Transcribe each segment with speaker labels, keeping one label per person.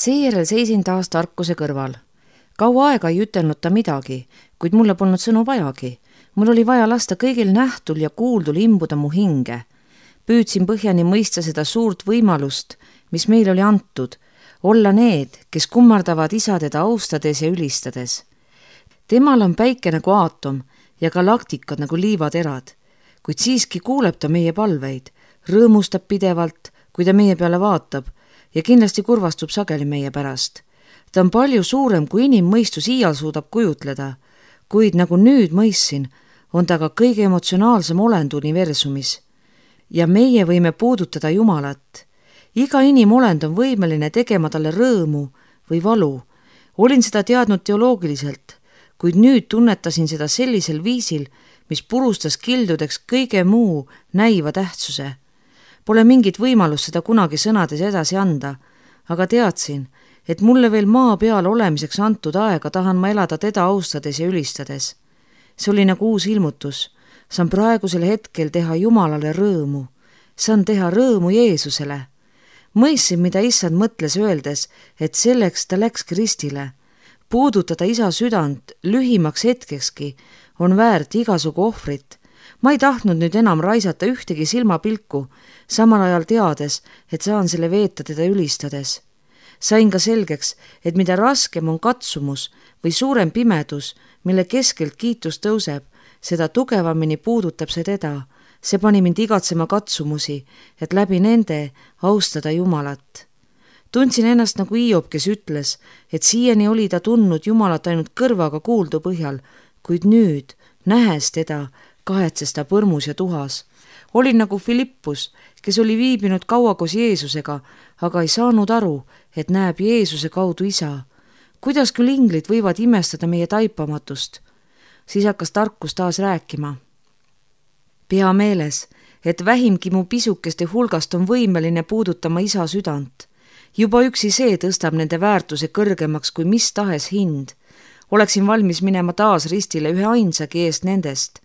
Speaker 1: Seejärel seisin taas tarkuse kõrval. Kaua aega ei ütelnud ta midagi, kuid mulle polnud sõnu vajagi. Mul oli vaja lasta kõigil nähtul ja kuuldul imbuda mu hinge. Püüdsin põhjani mõista seda suurt võimalust, mis meil oli antud, olla need, kes kummardavad isa teda austades ja ülistades. Temal on päike nagu aatom ja galaktikad nagu liivaterad, kuid siiski kuuleb ta meie palveid, rõõmustab pidevalt, kui ta meie peale vaatab ja kindlasti kurvastub sageli meie pärast. Ta on palju suurem, kui inimmõistus iial suudab kujutleda, kuid nagu nüüd mõistsin, on ta ka kõige emotsionaalsem olend universumis. Ja meie võime puudutada Jumalat. Iga inimolend on võimeline tegema talle rõõmu või valu. Olin seda teadnud teoloogiliselt, kuid nüüd tunnetasin seda sellisel viisil, mis purustas kildudeks kõige muu näiva tähtsuse. Pole mingit võimalust seda kunagi sõnades edasi anda, aga teadsin, et mulle veel maa peal olemiseks antud aega tahan ma elada teda austades ja ülistades. See oli nagu uus ilmutus. Saan praegusel hetkel teha Jumalale rõõmu. Saan teha rõõmu Jeesusele. Mõistsin, mida issand mõtles öeldes, et selleks ta läks Kristile. Puudutada isa südant lühimaks hetkekski on väärt igasugu ohvrit. Ma ei tahtnud nüüd enam raisata ühtegi silmapilku, samal ajal teades, et saan selle veeta teda ülistades. Sain ka selgeks, et mida raskem on katsumus või suurem pimedus, mille keskelt kiitus tõuseb, seda tugevamini puudutab see teda. See pani mind igatsema katsumusi, et läbi nende austada Jumalat. Tundsin ennast nagu Hiob, kes ütles, et siiani oli ta tundnud Jumalat ainult kõrvaga kuuldu põhjal, kuid nüüd, nähes teda, kahetses ta põrmus ja tuhas. Olin nagu Filippus, kes oli viibinud kaua koos Jeesusega, aga ei saanud aru, et näeb Jeesuse kaudu isa. Kuidas küll inglid võivad imestada meie taipamatust? Siis hakkas tarkus taas rääkima. Pea meeles, et vähimgi mu pisukeste hulgast on võimeline puudutama isa südant. Juba üksi see tõstab nende väärtuse kõrgemaks kui mis tahes hind. Oleksin valmis minema taas ristile ühe ainsagi eest nendest.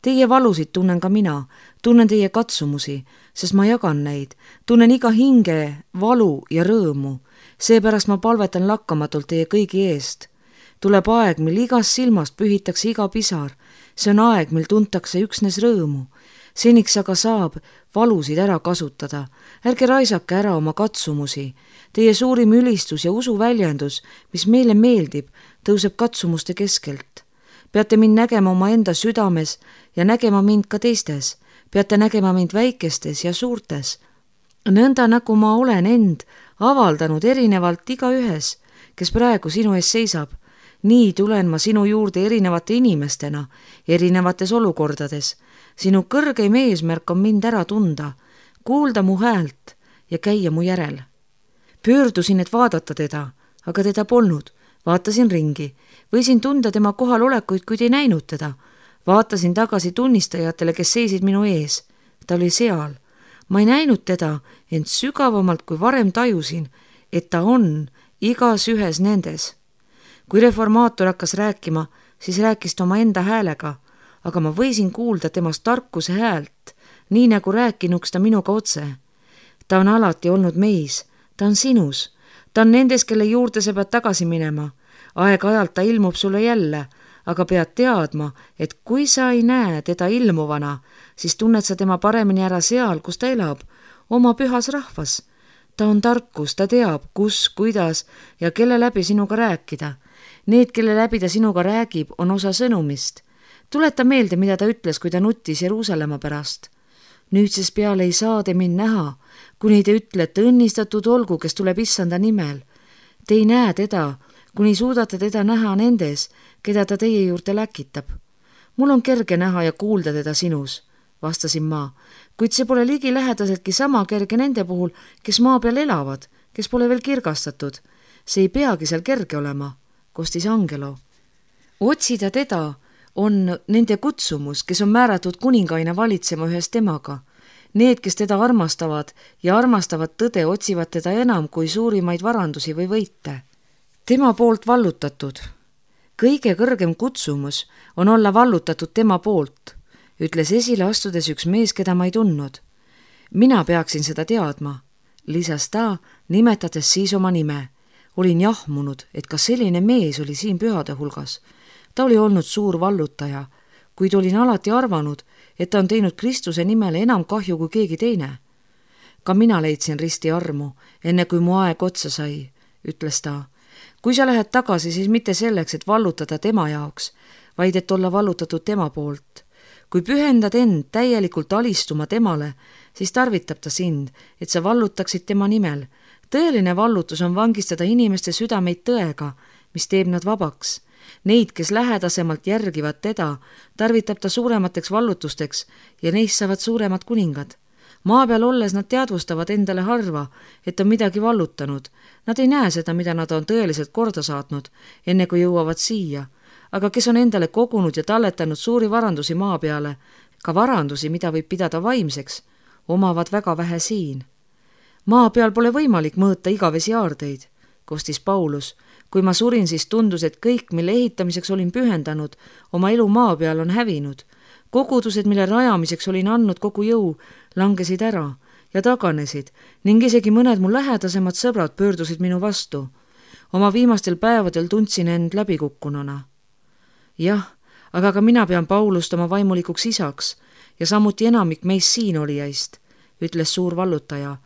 Speaker 1: Teie valusid tunnen ka mina, tunnen teie katsumusi, sest ma jagan neid, tunnen iga hinge, valu ja rõõmu. Seepärast ma palvetan lakkamatult teie kõigi eest. Tuleb aeg, mil igast silmast pühitakse iga pisar. See on aeg, mil tuntakse üksnes rõõmu. Seniks aga saab valusid ära kasutada. Ärge raisake ära oma katsumusi. Teie suurim ülistus ja usuväljendus, mis meile meeldib, tõuseb katsumuste keskelt. Peate mind nägema oma enda südames ja nägema mind ka teistes. Peate nägema mind väikestes ja suurtes. Nõnda nagu ma olen end avaldanud erinevalt igaühes, kes praegu sinu ees seisab. Nii tulen ma sinu juurde erinevate inimestena, erinevates olukordades. Sinu kõrgeim eesmärk on mind ära tunda, kuulda mu häält ja käia mu järel. Pöördusin, et vaadata teda, aga teda polnud. Vaatasin ringi. Võisin tunda tema kohalolekuid, kuid ei näinud teda. Vaatasin tagasi tunnistajatele, kes seisid minu ees. Ta oli seal. Ma ei näinud teda, ent sügavamalt kui varem tajusin, et ta on igas ühes nendes. Kui reformaator hakkas rääkima, siis rääkis ta oma enda häälega, aga ma võisin kuulda temast tarkuse häält, nii nagu rääkinuks ta minuga otse. Ta on alati olnud meis, ta on sinus, ta on nendes, kelle juurde sa pead tagasi minema. Aeg-ajalt ta ilmub sulle jälle, aga pead teadma, et kui sa ei näe teda ilmuvana, siis tunned sa tema paremini ära seal, kus ta elab, oma pühas rahvas. Ta on tarkus, ta teab, kus, kuidas ja kelle läbi sinuga rääkida. Need, kelle läbi ta sinuga räägib, on osa sõnumist. Tuleta meelde, mida ta ütles, kui ta nuttis Jeruusalemma pärast. Nüüdsest peale ei saa te mind näha, kuni te ütlete õnnistatud olgu, kes tuleb issanda nimel. Te ei näe teda, kuni suudate teda näha nendes, keda ta teie juurde läkitab. Mul on kerge näha ja kuulda teda sinus, vastasin ma, kuid see pole ligilähedaseltki sama kerge nende puhul, kes maa peal elavad, kes pole veel kirgastatud. See ei peagi seal kerge olema, kostis Angelo. Otsida teda on nende kutsumus, kes on määratud kuningaina valitsema ühes temaga. Need, kes teda armastavad ja armastavad tõde, otsivad teda enam kui suurimaid varandusi või võite. Tema poolt vallutatud. Kõige kõrgem kutsumus on olla vallutatud tema poolt, ütles esile astudes üks mees, keda ma ei tundnud. Mina peaksin seda teadma, lisas ta, nimetades siis oma nime. olin jahmunud, et kas selline mees oli siin pühade hulgas. Ta oli olnud suur vallutaja, kuid olin alati arvanud, et ta on teinud Kristuse nimele enam kahju kui keegi teine. Ka mina leidsin risti armu, enne kui mu aeg otsa sai, ütles ta. Kui sa lähed tagasi, siis mitte selleks, et vallutada tema jaoks, vaid et olla vallutatud tema poolt. Kui pühendad end täielikult alistuma temale, siis tarvitab ta sind, et sa vallutaksid tema nimel. Tõeline vallutus on vangistada inimeste südameid tõega, mis teeb nad vabaks. Neid, kes lähedasemalt järgivad teda, tarvitab ta suuremateks vallutusteks ja neist saavad suuremad kuningad. Maa peal olles nad teadvustavad endale harva, et on midagi vallutanud. Nad ei näe seda, mida nad on tõeliselt korda saatnud, enne kui jõuavad siia. Aga kes on endale kogunud ja talletanud suuri varandusi maa peale, ka varandusi, mida võib pidada vaimseks, omavad väga vähe siin. Maa peal pole võimalik mõõta igavesi aardeid, kostis Paulus. Kui ma surin, siis tundus, et kõik, mille ehitamiseks olin pühendanud, oma elu maa peal on hävinud. Kogudused, mille rajamiseks olin andnud kogu jõu, langesid ära ja taganesid ning isegi mõned mu lähedasemad sõbrad pöördusid minu vastu. Oma viimastel päevadel tundsin end läbikukkununa. Jah, aga ka mina pean Paulust oma vaimulikuks isaks ja samuti enamik meist siin olijaist, ütles suur vallutaja.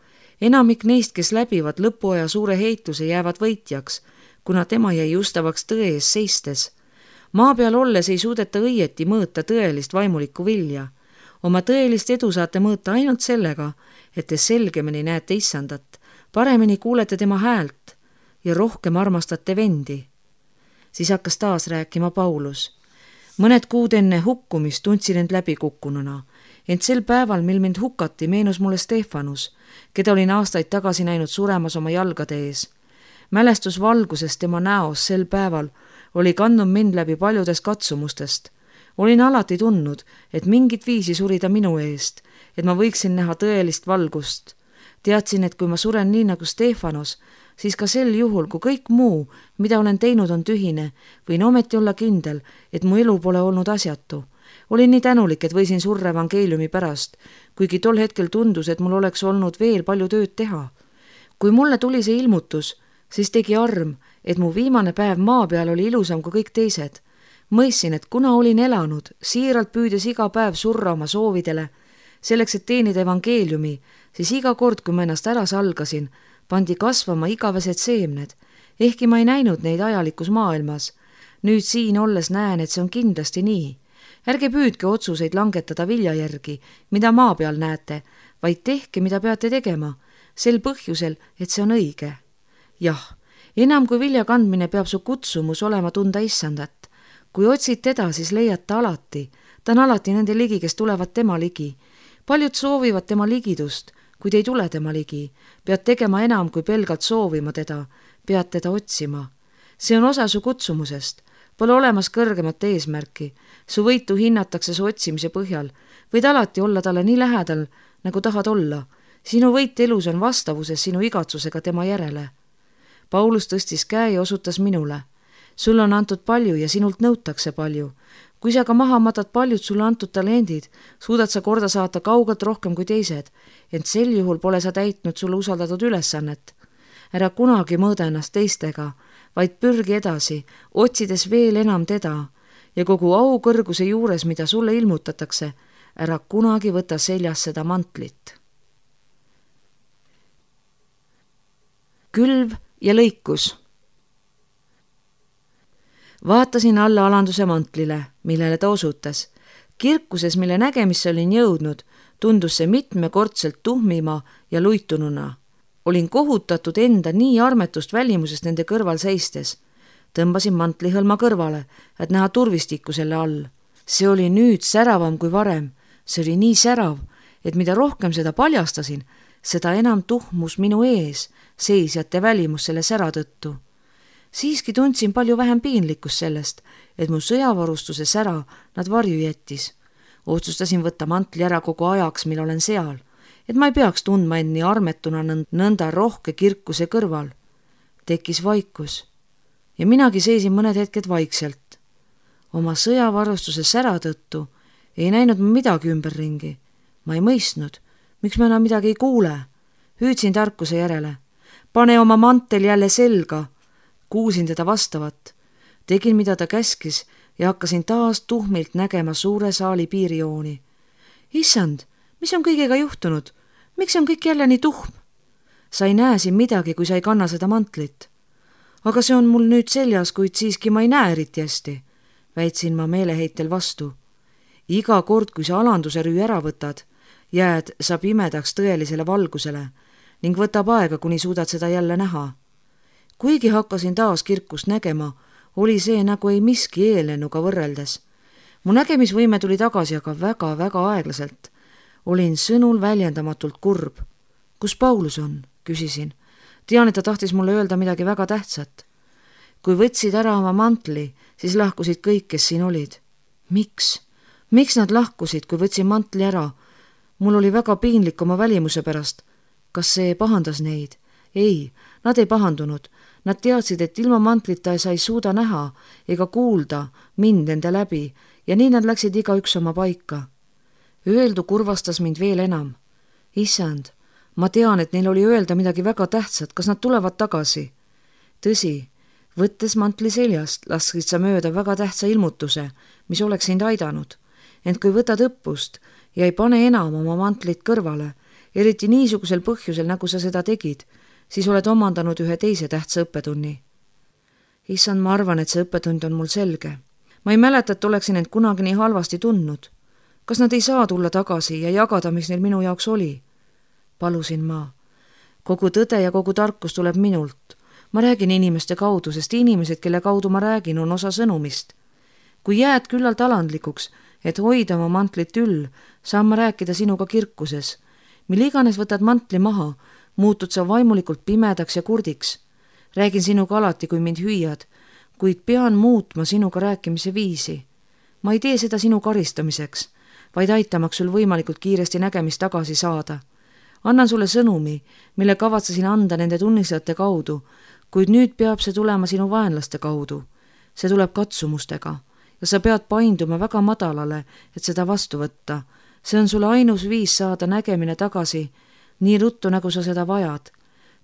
Speaker 1: Enamik neist, kes läbivad lõpuaja suure heitluse, jäävad võitjaks, kuna tema jäi justavaks tõe ees seistes. Maa peal olles ei suudeta õieti mõõta tõelist vaimulikku vilja. Oma tõelist edu saate mõõta ainult sellega, et te selgemini näete issandat, paremini kuulete tema häält ja rohkem armastate vendi. Siis hakkas taas rääkima Paulus. Mõned kuud enne hukkumist tundsin end läbikukkununa, ent sel päeval, mil mind hukati, meenus mulle Stefanus, keda olin aastaid tagasi näinud suremas oma jalgade ees. Mälestus valgusest tema näos sel päeval oli kandnud mind läbi paljudest katsumustest. Olin alati tundnud, et mingit viisi surida minu eest, et ma võiksin näha tõelist valgust. Teadsin, et kui ma suren nii nagu Stefanos, siis ka sel juhul, kui kõik muu, mida olen teinud, on tühine, võin ometi olla kindel, et mu elu pole olnud asjatu. Olin nii tänulik, et võisin surra evangeeliumi pärast, kuigi tol hetkel tundus, et mul oleks olnud veel palju tööd teha. Kui mulle tuli see ilmutus, siis tegi arm, et mu viimane päev maa peal oli ilusam kui kõik teised. Mõistsin, et kuna olin elanud, siiralt püüdes iga päev surra oma soovidele, selleks, et teenida evangeeliumi, siis iga kord, kui ma ennast ära salgasin, pandi kasvama igavesed seemned, ehkki ma ei näinud neid ajalikus maailmas. Nüüd siin olles näen, et see on kindlasti nii. Ärge püüdke otsuseid langetada vilja järgi, mida maa peal näete, vaid tehke, mida peate tegema, sel põhjusel, et see on õige. Jah, enam kui vilja kandmine peab su kutsumus olema tunda issandat. Kui otsid teda, siis leiad ta alati. Ta on alati nende ligi, kes tulevad tema ligi. Paljud soovivad tema ligidust, kuid ei tule tema ligi. Pead tegema enam kui pelgalt soovima teda. Pead teda otsima. See on osa su kutsumusest. Pole olemas kõrgemat eesmärki. Su võitu hinnatakse su otsimise põhjal. Võid alati olla talle nii lähedal, nagu tahad olla. Sinu võit elus on vastavuses sinu igatsusega tema järele. Paulus tõstis käe ja osutas minule. Sul on antud palju ja sinult nõutakse palju. Kui sa ka maha matad paljud sulle antud talendid, suudad sa korda saata kaugelt rohkem kui teised, ent sel juhul pole sa täitnud sulle usaldatud ülesannet. Ära kunagi mõõda ennast teistega, vaid pürgi edasi, otsides veel enam teda ja kogu aukõrguse juures, mida sulle ilmutatakse, ära kunagi võta seljas seda mantlit. Külv ja lõikus. Vaatasin alla alanduse mantlile, millele ta osutas. Kirkuses, mille nägemisse olin jõudnud, tundus see mitmekordselt tuhmima ja luitununa. Olin kohutatud enda nii armetust välimusest nende kõrval seistes. Tõmbasin mantlihõlma kõrvale, et näha turvistikku selle all. See oli nüüd säravam kui varem. See oli nii särav, et mida rohkem seda paljastasin, seda enam tuhmus minu ees, seisjate välimus selle sära tõttu. Siiski tundsin palju vähem piinlikkust sellest, et mu sõjavarustuse sära nad varju jättis. Otsustasin võtta mantli ära kogu ajaks, mil olen seal, et ma ei peaks tundma end nii armetuna nõnda rohke kirkuse kõrval. Tekkis vaikus ja minagi seisin mõned hetked vaikselt. Oma sõjavarustuse sära tõttu ei näinud ma midagi ümberringi. Ma ei mõistnud, miks ma enam midagi ei kuule. Hüüdsin tarkuse järele. Pane oma mantel jälle selga, kuulsin teda vastavat. Tegin, mida ta käskis ja hakkasin taas tuhmilt nägema suure saali piirijooni. Issand, mis on kõigega juhtunud? Miks on kõik jälle nii tuhm? Sa ei näe siin midagi, kui sa ei kanna seda mantlit. Aga see on mul nüüd seljas, kuid siiski ma ei näe eriti hästi, väitsin ma meeleheitel vastu. Iga kord, kui sa alanduse rüü ära võtad, jääd sa pimedaks tõelisele valgusele ning võtab aega, kuni suudad seda jälle näha. Kuigi hakkasin taas kirkust nägema, oli see nagu ei miski eellennuga võrreldes. Mu nägemisvõime tuli tagasi, aga väga-väga aeglaselt. Olin sõnul väljendamatult kurb. Kus Paulus on? Küsisin. Tean, et ta tahtis mulle öelda midagi väga tähtsat. Kui võtsid ära oma mantli, siis lahkusid kõik, kes siin olid. Miks? Miks nad lahkusid, kui võtsin mantli ära? Mul oli väga piinlik oma välimuse pärast. Kas see pahandas neid? Ei, nad ei pahandunud. Nad teadsid, et ilma mantlita sa ei suuda näha ega kuulda mind enda läbi ja nii nad läksid igaüks oma paika. Öeldu kurvastas mind veel enam. Issand, ma tean, et neil oli öelda midagi väga tähtsat, kas nad tulevad tagasi? Tõsi, võttes mantli seljast, lasksid sa mööda väga tähtsa ilmutuse, mis oleks sind aidanud. Ent kui võtad õppust ja ei pane enam oma mantlit kõrvale, eriti niisugusel põhjusel, nagu sa seda tegid, siis oled omandanud ühe teise tähtsa õppetunni. Issand, ma arvan, et see õppetund on mul selge. Ma ei mäleta, et oleksin end kunagi nii halvasti tundnud. Kas nad ei saa tulla tagasi ja jagada, mis neil minu jaoks oli? Palusin ma. Kogu tõde ja kogu tarkus tuleb minult. Ma räägin inimeste kaudu, sest inimesed, kelle kaudu ma räägin, on osa sõnumist. Kui jääd küllalt alandlikuks, et hoida oma mantlit üll, saan ma rääkida sinuga kirkuses. Mil iganes võtad mantli maha, muutud sa vaimulikult pimedaks ja kurdiks. Räägin sinuga alati, kui mind hüüad, kuid pean muutma sinuga rääkimise viisi. Ma ei tee seda sinu karistamiseks, vaid aitamaks sul võimalikult kiiresti nägemist tagasi saada. Annan sulle sõnumi, mille kavatsesin anda nende tunnistajate kaudu, kuid nüüd peab see tulema sinu vaenlaste kaudu. See tuleb katsumustega ja sa pead painduma väga madalale, et seda vastu võtta. See on sulle ainus viis saada nägemine tagasi, nii ruttu, nagu sa seda vajad.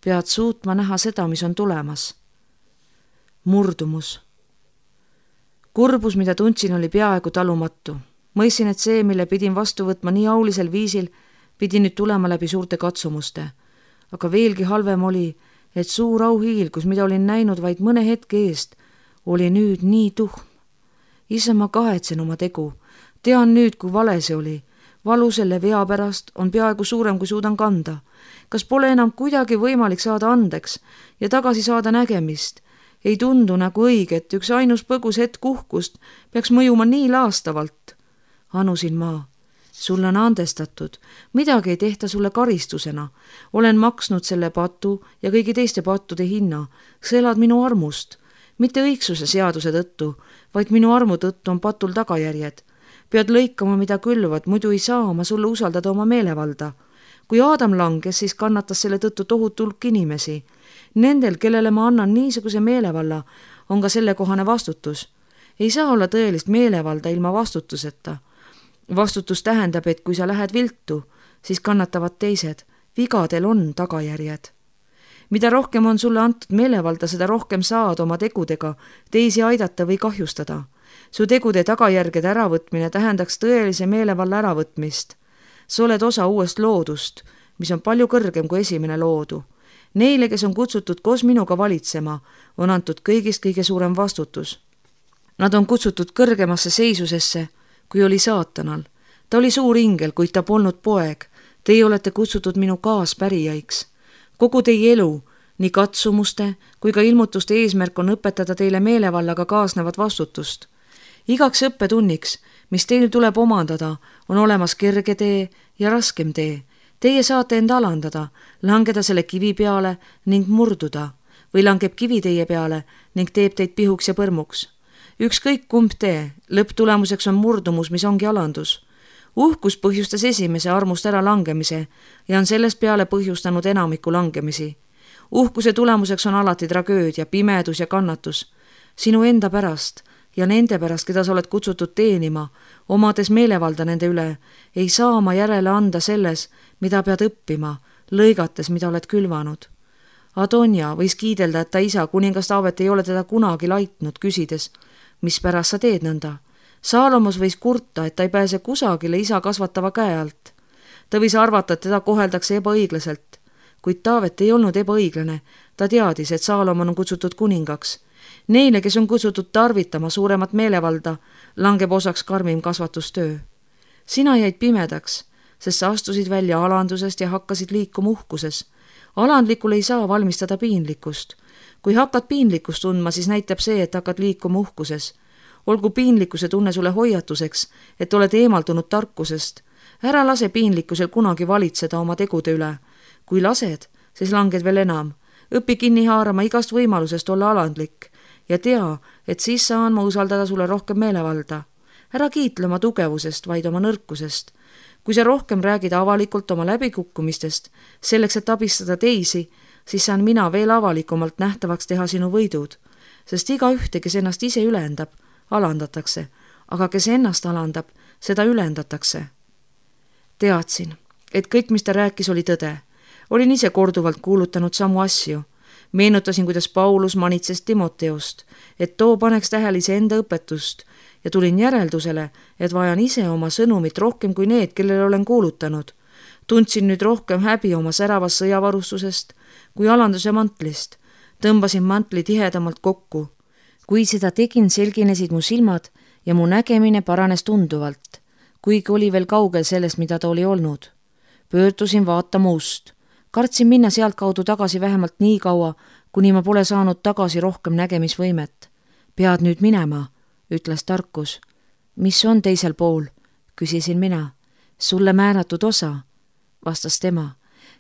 Speaker 1: Pead suutma näha seda, mis on tulemas. Murdumus. Kurbus, mida tundsin, oli peaaegu talumatu. Mõistsin, et see, mille pidin vastu võtma nii aulisel viisil, pidi nüüd tulema läbi suurte katsumuste. Aga veelgi halvem oli, et suur auhiil, kus mida olin näinud vaid mõne hetke eest, oli nüüd nii tuhm. Ise ma kahetsen oma tegu. Tean nüüd, kui vale see oli. Valu selle vea pärast on peaaegu suurem, kui suudan kanda. Kas pole enam kuidagi võimalik saada andeks ja tagasi saada nägemist? Ei tundu nagu õige, et üks ainus põgus hetk uhkust peaks mõjuma nii laastavalt. Anusin ma. Sulle on andestatud. Midagi ei tehta sulle karistusena. Olen maksnud selle patu ja kõigi teiste pattude hinna. Sa elad minu armust. Mitte õigsuse seaduse tõttu, vaid minu armu tõttu on patul tagajärjed. Pead lõikama, mida külvad, muidu ei saa ma sulle usaldada oma meelevalda. Kui Aadam langes, siis kannatas selle tõttu tohutu hulk inimesi. Nendel, kellele ma annan niisuguse meelevalla, on ka sellekohane vastutus. Ei saa olla tõelist meelevalda ilma vastutuseta. Vastutus tähendab, et kui sa lähed viltu, siis kannatavad teised. Vigadel on tagajärjed. Mida rohkem on sulle antud meelevalda, seda rohkem saad oma tegudega teisi aidata või kahjustada. Su tegude tagajärgede äravõtmine tähendaks tõelise meelevalla äravõtmist. Sa oled osa uuest loodust, mis on palju kõrgem kui esimene loodu. Neile, kes on kutsutud koos minuga valitsema, on antud kõigist kõige suurem vastutus. Nad on kutsutud kõrgemasse seisusesse, kui oli saatanal. Ta oli suur ingel, kuid ta polnud poeg. Teie olete kutsutud minu kaaspärijaiks. Kogu teie elu, nii katsumuste kui ka ilmutuste eesmärk on õpetada teile meelevallaga kaasnevat vastutust. Igaks õppetunniks, mis teil tuleb omandada, on olemas kerge tee ja raskem tee. Teie saate end alandada, langeda selle kivi peale ning murduda või langeb kivi teie peale ning teeb teid pihuks ja põrmuks. Ükskõik kumb tee, lõpptulemuseks on murdumus, mis ongi alandus. Uhkus põhjustas esimese armust ära langemise ja on sellest peale põhjustanud enamiku langemisi. Uhkuse tulemuseks on alati tragöödia, pimedus ja kannatus. Sinu enda pärast ja nende pärast, keda sa oled kutsutud teenima, omades meelevalda nende üle, ei saa ma järele anda selles, mida pead õppima, lõigates, mida oled külvanud. Adonja võis kiidelda, et ta isa, kuningas Taavet, ei ole teda kunagi laitnud, küsides, mispärast sa teed nõnda. Saalomos võis kurta, et ta ei pääse kusagile isa kasvatava käe alt. Ta võis arvata, et teda koheldakse ebaõiglaselt, kuid Taavet ei olnud ebaõiglane. Ta teadis, et Saalomon on kutsutud kuningaks. Neile, kes on kutsutud tarvitama suuremat meelevalda, langeb osaks karmim kasvatustöö. Sina jäid pimedaks, sest sa astusid välja alandusest ja hakkasid liikuma uhkuses. Alandlikul ei saa valmistada piinlikkust. Kui hakkad piinlikkust tundma, siis näitab see, et hakkad liikuma uhkuses. Olgu piinlikkuse tunne sulle hoiatuseks, et oled eemaldunud tarkusest. Ära lase piinlikkusel kunagi valitseda oma tegude üle. Kui lased, siis langed veel enam. Õpi kinni haarama igast võimalusest olla alandlik ja tea, et siis saan ma usaldada sulle rohkem meelevalda. Ära kiitle oma tugevusest, vaid oma nõrkusest. Kui sa rohkem räägid avalikult oma läbikukkumistest, selleks, et abistada teisi, siis saan mina veel avalikumalt nähtavaks teha sinu võidud, sest iga ühte, kes ennast ise ülendab, alandatakse, aga kes ennast alandab, seda ülendatakse. Teadsin, et kõik, mis ta rääkis, oli tõde. Olin ise korduvalt kuulutanud samu asju. Meenutasin, kuidas Paulus manitses Timoteost, et too paneks tähele iseenda õpetust ja tulin järeldusele, et vajan ise oma sõnumit rohkem kui need, kellele olen kuulutanud. Tundsin nüüd rohkem häbi oma säravast sõjavarustusest kui alanduse mantlist. Tõmbasin mantli tihedamalt kokku. Kui seda tegin, selginesid mu silmad ja mu nägemine paranes tunduvalt, kuigi oli veel kaugel sellest, mida ta oli olnud. Pöördusin vaatama ust. Kartsin minna sealt kaudu tagasi vähemalt nii kaua, kuni ma pole saanud tagasi rohkem nägemisvõimet. Pead nüüd minema, ütles tarkus. Mis on teisel pool, küsisin mina. Sulle määratud osa, vastas tema.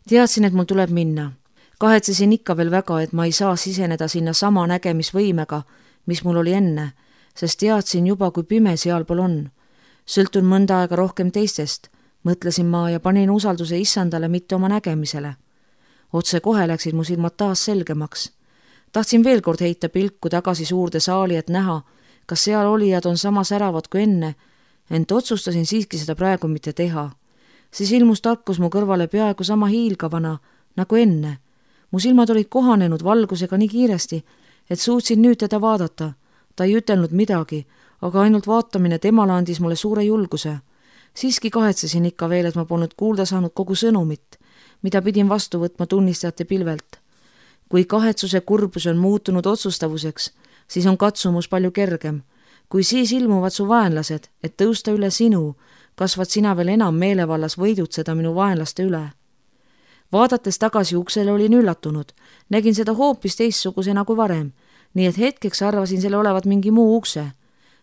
Speaker 1: Teadsin, et mul tuleb minna. Kahetsesin ikka veel väga, et ma ei saa siseneda sinna sama nägemisvõimega, mis mul oli enne, sest teadsin juba, kui pime sealpool on. Sõltun mõnda aega rohkem teistest, mõtlesin ma ja panin usalduse issandale, mitte oma nägemisele. Otse kohe läksid mu silmad taas selgemaks. Tahtsin veel kord heita pilku tagasi suurde saali, et näha, kas seal olijad on sama säravad kui enne, ent otsustasin siiski seda praegu mitte teha. Siis ilmus tarkus mu kõrvale peaaegu sama hiilgavana nagu enne. Mu silmad olid kohanenud valgusega nii kiiresti, et suutsin nüüd teda vaadata. Ta ei ütelnud midagi, aga ainult vaatamine temale andis mulle suure julguse. Siiski kahetsesin ikka veel, et ma polnud kuulda saanud kogu sõnumit, mida pidin vastu võtma tunnistajate pilvelt. Kui kahetsuse kurbus on muutunud otsustavuseks, siis on katsumus palju kergem. Kui siis ilmuvad su vaenlased, et tõusta üle sinu, kasvad sina veel enam meelevallas võidutseda minu vaenlaste üle. Vaadates tagasi uksele olin üllatunud, nägin seda hoopis teistsugusena kui varem, nii et hetkeks arvasin selle olevat mingi muu ukse.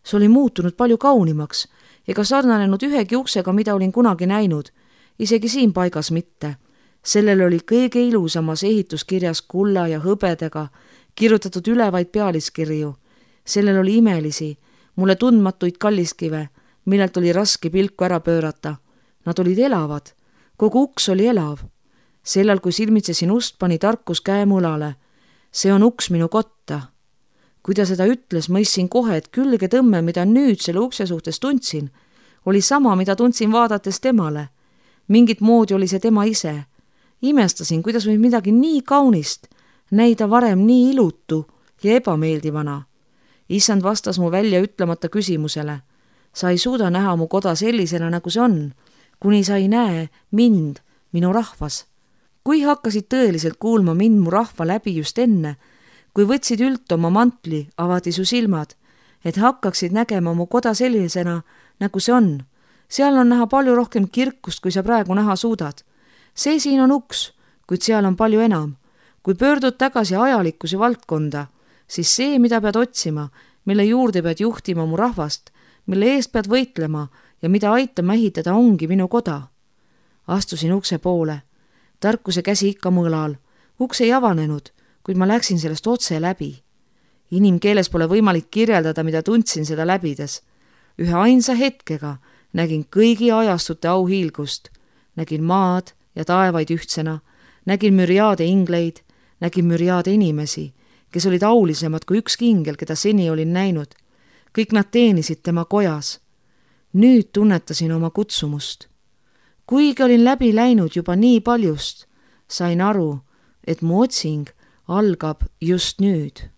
Speaker 1: See oli muutunud palju kaunimaks ega sarnanenud ühegi uksega, mida olin kunagi näinud, isegi siin paigas mitte. Sellel oli kõige ilusamas ehituskirjas kulla ja hõbedega kirjutatud üle vaid pealiskirju. Sellel oli imelisi, mulle tundmatuid kalliskive, millelt oli raske pilku ära pöörata. Nad olid elavad, kogu uks oli elav. Sellal, kui silmitsesin ust, pani tarkus käe mulale. See on uks minu kotta. Kui ta seda ütles, mõistsin kohe, et külge tõmme, mida nüüd selle ukse suhtes tundsin, oli sama, mida tundsin vaadates temale. Mingit moodi oli see tema ise. Imestasin, kuidas võib midagi nii kaunist näida varem nii ilutu ja ebameeldivana. Issand vastas mu välja ütlemata küsimusele. Sa ei suuda näha mu koda sellisena, nagu see on, kuni sa ei näe mind, minu rahvas. Kui hakkasid tõeliselt kuulma mind mu rahva läbi just enne, kui võtsid ült oma mantli, avati su silmad, et hakkaksid nägema mu koda sellisena, nagu see on. Seal on näha palju rohkem kirkust, kui sa praegu näha suudad. See siin on uks, kuid seal on palju enam. Kui pöördud tagasi ajalikkuse valdkonda, siis see, mida pead otsima, mille juurde pead juhtima mu rahvast, mille eest pead võitlema ja mida aitama ehitada, ongi minu koda. Astusin ukse poole. Tarkuse käsi ikka mõõlal. Uks ei avanenud, kuid ma läksin sellest otse läbi. Inimkeeles pole võimalik kirjeldada, mida tundsin seda läbides. Ühe ainsa hetkega nägin kõigi ajastute auhiilgust. Nägin maad ja taevaid ühtsena, nägin müriaade ingleid, nägin müriaade inimesi, kes olid aulisemad kui ükski ingel, keda seni olin näinud. Kõik nad teenisid tema kojas. Nüüd tunnetasin oma kutsumust. Kuigi olin läbi läinud juba nii paljust, sain aru, et mu otsing algab just nüüd.